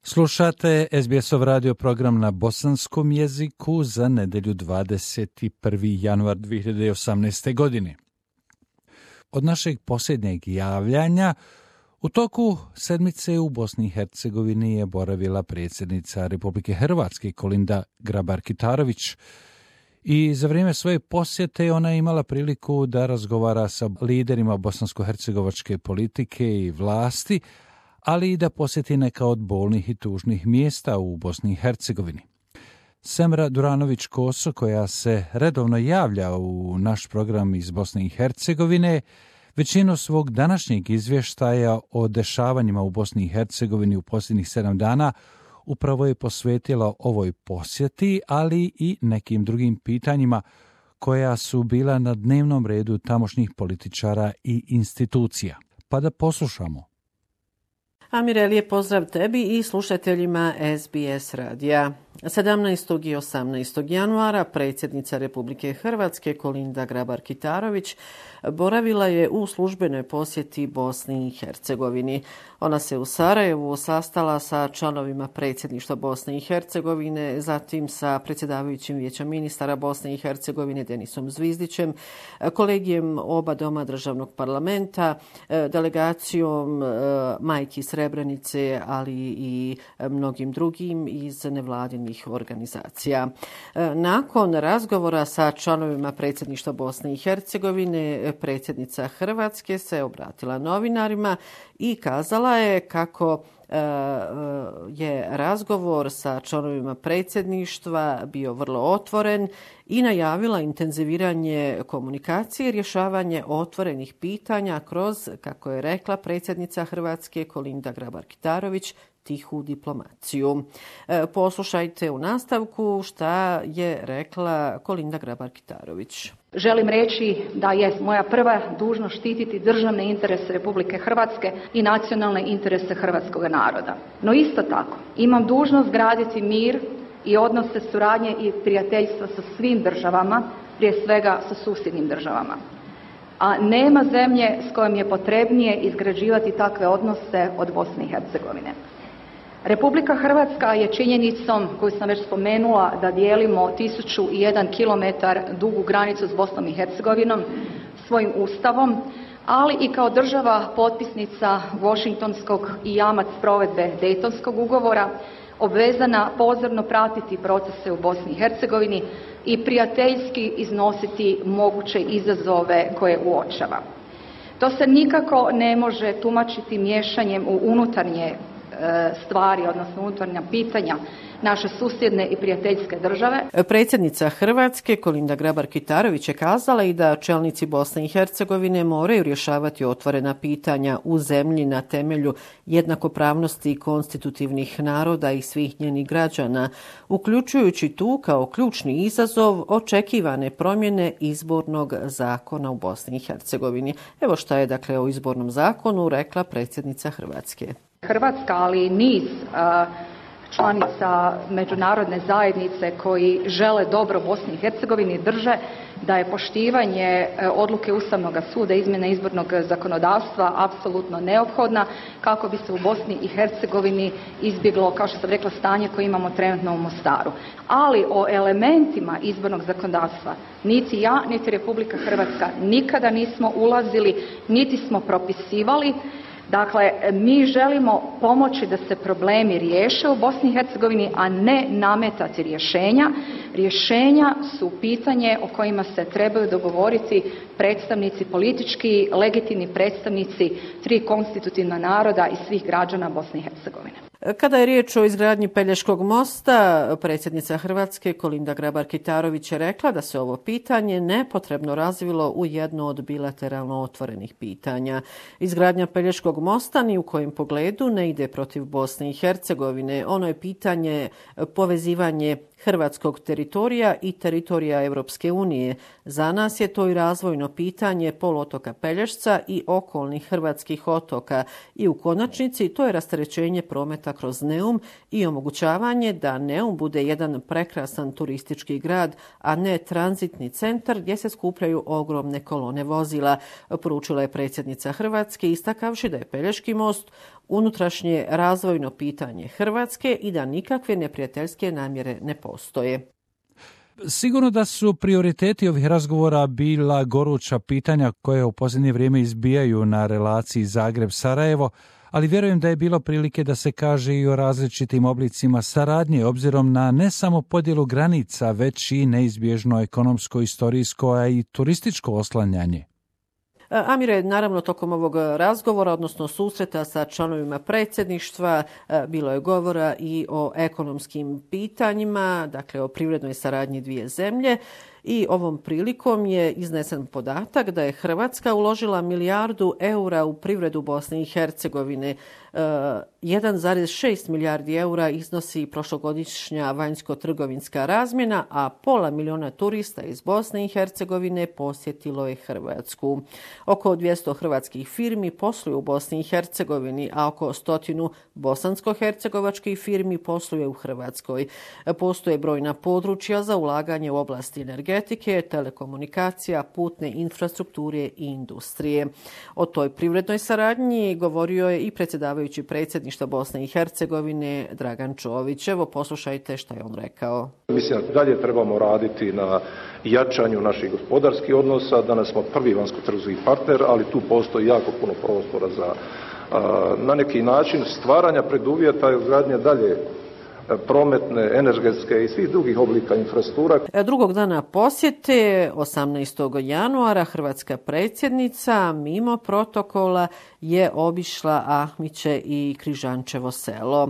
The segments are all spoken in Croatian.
Slušate SBS-ov radio program na bosanskom jeziku za nedelju 21. januar 2018. godine. Od našeg posljednjeg javljanja u toku sedmice u Bosni i Hercegovini je boravila predsjednica Republike Hrvatske Kolinda Grabar-Kitarović i za vrijeme svoje posjete ona je imala priliku da razgovara sa liderima bosansko-hercegovačke politike i vlasti, ali i da posjeti neka od bolnih i tužnih mjesta u Bosni i Hercegovini. Semra Duranović-Koso, koja se redovno javlja u naš program iz Bosne i Hercegovine, većinu svog današnjeg izvještaja o dešavanjima u Bosni i Hercegovini u posljednjih 7 dana upravo je posvetila ovoj posjeti, ali i nekim drugim pitanjima koja su bila na dnevnom redu tamošnjih političara i institucija. Pa da poslušamo. Amire, lijep pozdrav tebi i slušateljima SBS radija. 17. i 18. januara predsjednica Republike Hrvatske Kolinda Grabar-Kitarović boravila je u službenoj posjeti Bosni i Hercegovini. Ona se u Sarajevu sastala sa članovima predsjedništva Bosne i Hercegovine, zatim sa predsjedavajućim vijeća ministara Bosne i Hercegovine Denisom Zvizdićem, kolegijem oba doma državnog parlamenta, delegacijom Majki Srebrenice, ali i mnogim drugim iz nevladinih organizacija. Nakon razgovora sa članovima predsjedništva Bosne i Hercegovine, predsjednica Hrvatske se obratila novinarima i kazala je kako je razgovor sa članovima predsjedništva bio vrlo otvoren i najavila intenziviranje komunikacije i rješavanje otvorenih pitanja kroz, kako je rekla predsjednica Hrvatske Kolinda Grabar-Kitarović, tihu diplomaciju. Poslušajte u nastavku šta je rekla Kolinda Grabar-Kitarović. Želim reći da je moja prva dužnost štititi državne interese Republike Hrvatske i nacionalne interese hrvatskog naroda. No isto tako imam dužnost graditi mir i odnose suradnje i prijateljstva sa svim državama, prije svega sa susjednim državama. A nema zemlje s kojom je potrebnije izgrađivati takve odnose od Bosne i Hercegovine. Republika Hrvatska je činjenicom koju sam već spomenula da dijelimo 1001 kilometar dugu granicu s Bosnom i Hercegovinom svojim ustavom, ali i kao država potpisnica Washingtonskog i jamac provedbe Dejtonskog ugovora obvezana pozorno pratiti procese u Bosni i Hercegovini i prijateljski iznositi moguće izazove koje uočava. To se nikako ne može tumačiti miješanjem u unutarnje stvari, odnosno unutarnja pitanja naše susjedne i prijateljske države. Predsjednica Hrvatske Kolinda Grabar-Kitarović je kazala i da čelnici Bosne i Hercegovine moraju rješavati otvorena pitanja u zemlji na temelju jednakopravnosti konstitutivnih naroda i svih njenih građana, uključujući tu kao ključni izazov očekivane promjene izbornog zakona u Bosni i Hercegovini. Evo šta je dakle o izbornom zakonu rekla predsjednica Hrvatske. Hrvatska, ali i niz članica međunarodne zajednice koji žele dobro Bosni i Hercegovini drže da je poštivanje odluke Ustavnog suda izmjene izbornog zakonodavstva apsolutno neophodna kako bi se u Bosni i Hercegovini izbjeglo, kao što sam rekla, stanje koje imamo trenutno u Mostaru. Ali o elementima izbornog zakonodavstva niti ja, niti Republika Hrvatska nikada nismo ulazili, niti smo propisivali. Dakle, mi želimo pomoći da se problemi riješe u Bosni i Hercegovini, a ne nametati rješenja. Rješenja su pitanje o kojima se trebaju dogovoriti predstavnici, politički legitimni predstavnici 3 konstitutivna naroda i svih građana Bosne i Hercegovine. Kada je riječ o izgradnji Pelješkog mosta, predsjednica Hrvatske Kolinda Grabar-Kitarović je rekla da se ovo pitanje nepotrebno razvilo u jedno od bilateralno otvorenih pitanja. Izgradnja Pelješkog mosta ni u kojem pogledu ne ide protiv Bosne i Hercegovine. Ono je pitanje povezivanje hrvatskog teritorija i teritorija Europske unije. Za nas je to i razvojno pitanje poluotoka Pelješca i okolnih hrvatskih otoka i u konačnici to je rasterećenje prometa kroz Neum i omogućavanje da Neum bude jedan prekrasan turistički grad, a ne tranzitni centar gdje se skupljaju ogromne kolone vozila, poručila je predsjednica Hrvatske istakavši da je Pelješki most unutrašnje razvojno pitanje Hrvatske i da nikakve neprijateljske namjere ne postoje. Sigurno da su prioriteti ovih razgovora bila goruća pitanja koje u posljednje vrijeme izbijaju na relaciji Zagreb-Sarajevo, ali vjerujem da je bilo prilike da se kaže i o različitim oblicima saradnje, obzirom na ne samo podjelu granica, već i neizbježno ekonomsko, istorijsko, a i turističko oslanjanje. Amire, naravno tokom ovog razgovora, odnosno susreta sa članovima predsjedništva, bilo je govora i o ekonomskim pitanjima, dakle o privrednoj saradnji dvije zemlje. I ovom prilikom je iznesen podatak da je Hrvatska uložila 1 milijardu eura u privredu Bosne i Hercegovine. 1,6 milijardi eura iznosi prošlogodišnja vanjsko-trgovinska razmjena, a 500 milijuna turista iz Bosne i Hercegovine posjetilo je Hrvatsku. Oko 200 hrvatskih firmi posluju u Bosni i Hercegovini, a oko 100 bosansko-hercegovačkih firmi posluje u Hrvatskoj. Postoje brojna područja za ulaganje u oblasti energetike, telekomunikacija, putne infrastrukture i industrije. O toj privrednoj saradnji govorio je i predsjedavajući predsjedništva Bosne i Hercegovine Dragan Čović. Evo, poslušajte što je on rekao. Mislim da dalje trebamo raditi na jačanju naših gospodarskih odnosa. Danas smo prvi vanjsko-trgovinski partner, ali tu postoji jako puno prostora za na neki način stvaranja preduvjeta i izgradnje dalje prometne, energetske i svih drugih oblika infrastruktura. Drugog dana posjete, 18. januara, hrvatska predsjednica mimo protokola je obišla Ahmiće i Križančevo selo.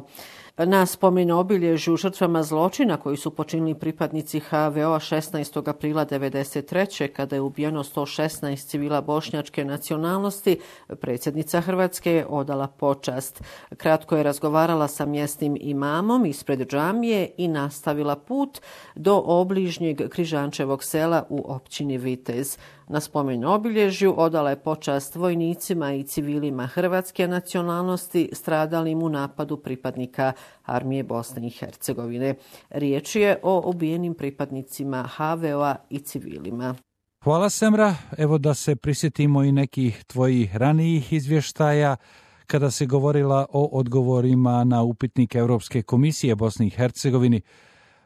Na spomen obilježju žrtvama zločina koji su počinili pripadnici HVO-a 16. aprila 1993. kada je ubijeno 116 civila bošnjačke nacionalnosti, predsjednica Hrvatske je odala počast. Kratko je razgovarala sa mjesnim imamom ispred džamije i nastavila put do obližnjeg Križančevog sela u općini Vitez. Na spomen obilježju odala je počast vojnicima i civilima hrvatske nacionalnosti stradalim u napadu pripadnika armije Bosne i Hercegovine. Riječ je o ubijenim pripadnicima HVO-a i civilima. Hvala, Semra. Evo da se prisjetimo i nekih tvojih ranijih izvještaja kada se govorila o odgovorima na upitnik Europske komisije Bosni i Hercegovini.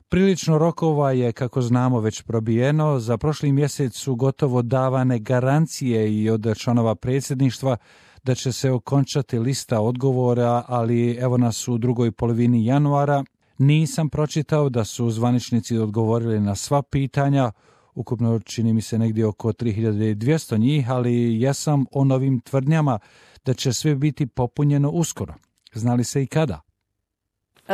Prilično rokova je, kako znamo, već probijeno. Za prošli mjesec su gotovo davane garancije i od članova predsjedništva da će se okončati lista odgovora, ali evo nas u drugoj polovini januara. Nisam pročitao da su zvaničnici odgovorili na sva pitanja, ukupno čini mi se negdje oko 3200 njih, ali jesam o novim tvrdnjama da će sve biti popunjeno uskoro. Znali se i kada?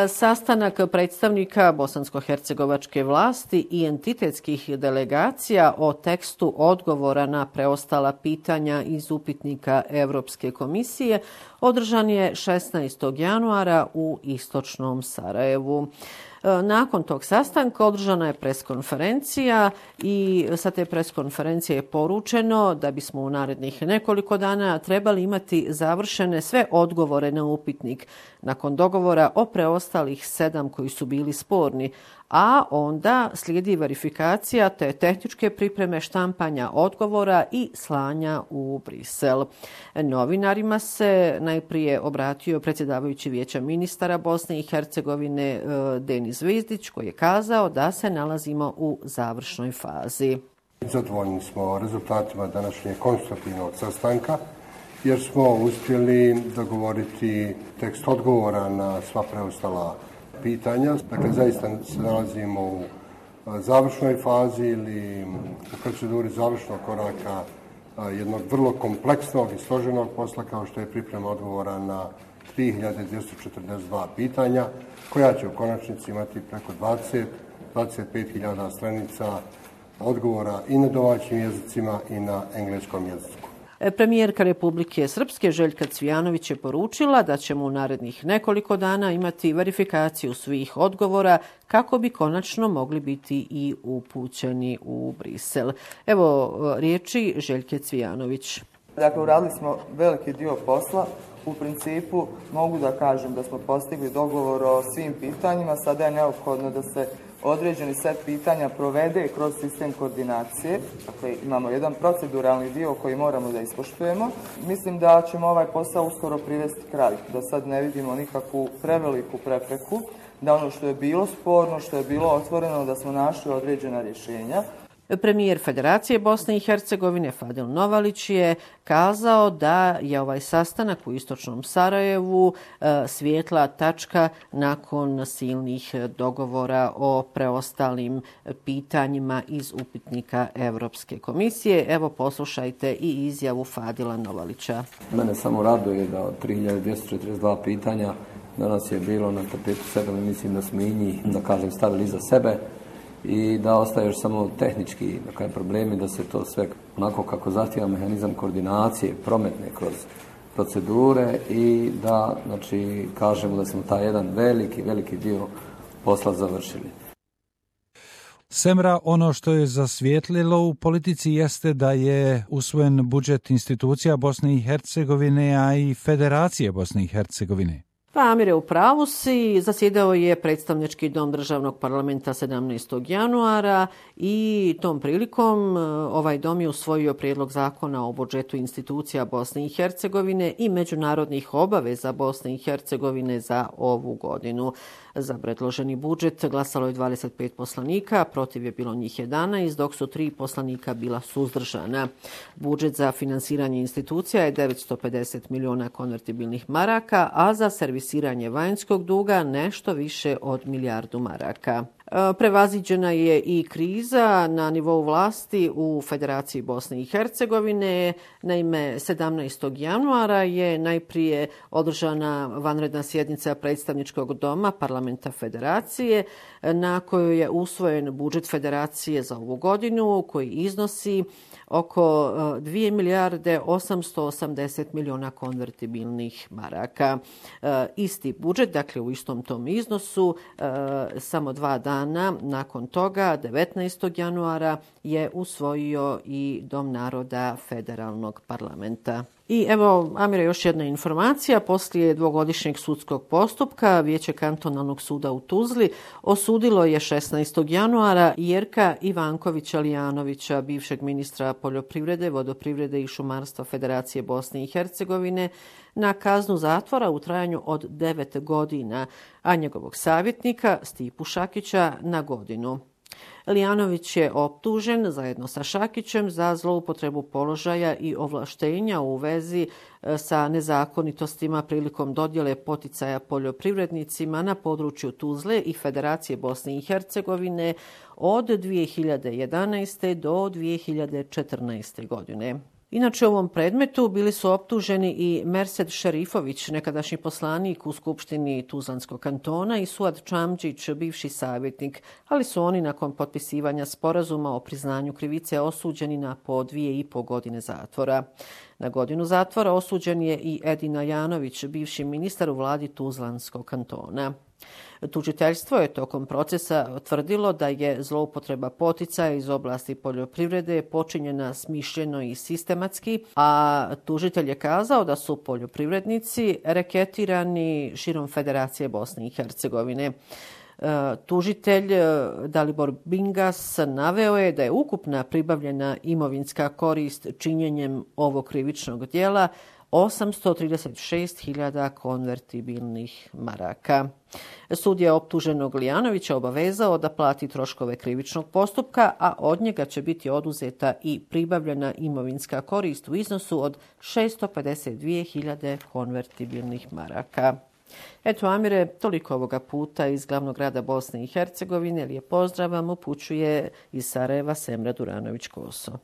Sastanak predstavnika bosansko-hercegovačke vlasti i entitetskih delegacija o tekstu odgovora na preostala pitanja iz upitnika Europske komisije održan je 16. januara u istočnom Sarajevu. Nakon tog sastanka održana je preskonferencija i sa te preskonferencije je poručeno da bismo u narednih nekoliko dana trebali imati završene sve odgovore na upitnik nakon dogovora o preostalih 7 koji su bili sporni, a onda slijedi verifikacija te tehničke pripreme štampanja odgovora i slanja u Brisel. Novinarima se najprije obratio predsjedavajući Vijeća ministara Bosne i Hercegovine Denis Zvizdić, koji je kazao da se nalazimo u završnoj fazi. Zadovoljni smo rezultatima današnjeg konstruktivnog sastanka jer smo uspjeli dogovoriti tekst odgovora na sva preostala pitanja. Dakle, zaista se nalazimo u završnoj fazi ili u proceduri završnog koraka jednog vrlo kompleksnog i složenog posla kao što je priprema odgovora na 3242 pitanja koja će u konačnici imati preko 25.000 stranica odgovora i na domaćim jezicima i na engleskom jeziku. Premijerka Republike Srpske Željka Cvijanović je poručila da ćemo u narednih nekoliko dana imati verifikaciju svih odgovora kako bi konačno mogli biti i upućeni u Brisel. Evo riječi Željke Cvijanović. Dakle, uradili smo veliki dio posla U principu mogu da kažem da smo postigli dogovor o svim pitanjima, sada je neophodno da se određeni set pitanja provede kroz sistem koordinacije. Dakle, imamo jedan proceduralni dio koji moramo da ispoštujemo. Mislim da ćemo ovaj posao uskoro privesti kraju, da sad ne vidimo nikakvu preveliku prepreku, da ono što je bilo sporno, što je bilo otvoreno, da smo našli određena rješenja. Premijer Federacije Bosne i Hercegovine Fadil Novalić je kazao da je ovaj sastanak u istočnom Sarajevu svijetla tačka nakon silnih dogovora o preostalim pitanjima iz upitnika Europske komisije. Evo poslušajte i izjavu Fadila Novalića. Mene samo raduje da od 3242 pitanja danas je bilo na tapetu 7, mislim da smo i njih, da kažem, stavili iza sebe i da ostaje još samo tehnički problemi, da se to sve onako kako zahtijeva mehanizam koordinacije prometne kroz procedure i da, znači, kažemo da smo taj jedan veliki dio posla završili. Semra, ono što je zasvijetlilo u politici jeste da je usvojen budžet institucija Bosne i Hercegovine, a i Federacije Bosne i Hercegovine. Pa Amire, u pravu si, zasjedao je predstavnički dom državnog parlamenta 17. januara i tom prilikom ovaj dom je usvojio prijedlog zakona o budžetu institucija Bosne i Hercegovine i međunarodnih obaveza Bosne i Hercegovine za ovu godinu. Za predloženi budžet glasalo je 25 poslanika, protiv je bilo njih 11, dok su 3 poslanika bila suzdržana. Budžet za finansiranje institucija je 950 miliona konvertibilnih maraka, a za servisiranje vanjskog duga nešto više od milijardu maraka. Prevaziđena je i kriza na nivou vlasti u Federaciji Bosne i Hercegovine. Naime, 17. januara je najprije održana vanredna sjednica predstavničkog doma parlamenta Federacije na kojoj je usvojen budžet Federacije za ovu godinu koji iznosi oko 2 milijarde 880 miliona konvertibilnih maraka. Isti budžet, dakle u istom tom iznosu, samo 2 dana nakon toga, 19. januara, je usvojio i Dom naroda Federalnog parlamenta. I evo, Amire, još jedna informacija. Poslije dvogodišnjeg sudskog postupka Vijeće kantonalnog suda u Tuzli osudilo je 16. januara Jerka Ivankovića Lijanovića, bivšeg ministra poljoprivrede, vodoprivrede i šumarstva Federacije Bosne i Hercegovine, na kaznu zatvora u trajanju od 9 godina, a njegovog savjetnika Stipu Šakića na godinu. Lijanović je optužen zajedno sa Šakićem za zloupotrebu položaja i ovlaštenja u vezi sa nezakonitostima prilikom dodjele poticaja poljoprivrednicima na području Tuzle i Federacije Bosne i Hercegovine od 2011. do 2014. godine. Inače, u ovom predmetu bili su optuženi i Mersed Šerifović, nekadašnji poslanik u Skupštini Tuzlanskog kantona, i Suad Čamđić, bivši savjetnik, ali su oni nakon potpisivanja sporazuma o priznanju krivice osuđeni na po 2,5 godine zatvora. Na godinu zatvora osuđen je i Edin Ajanović, bivši ministar u vladi Tuzlanskog kantona. Tužiteljstvo je tokom procesa tvrdilo da je zloupotreba poticaja iz oblasti poljoprivrede počinjena smišljeno i sistematski, a tužitelj je kazao da su poljoprivrednici reketirani širom Federacije Bosne i Hercegovine. Tužitelj Dalibor Bingas naveo je da je ukupna pribavljena imovinska korist činjenjem ovog krivičnog djela 836.000 konvertibilnih maraka. Sud je optuženog Lijanovića obavezao da plati troškove krivičnog postupka, a od njega će biti oduzeta i pribavljena imovinska korist u iznosu od 652.000 konvertibilnih maraka. Eto, Amire, toliko ovoga puta iz glavnog grada Bosne i Hercegovine. Lijep pozdrav vam upućuje iz Sarajeva Semra Duranović-Koso.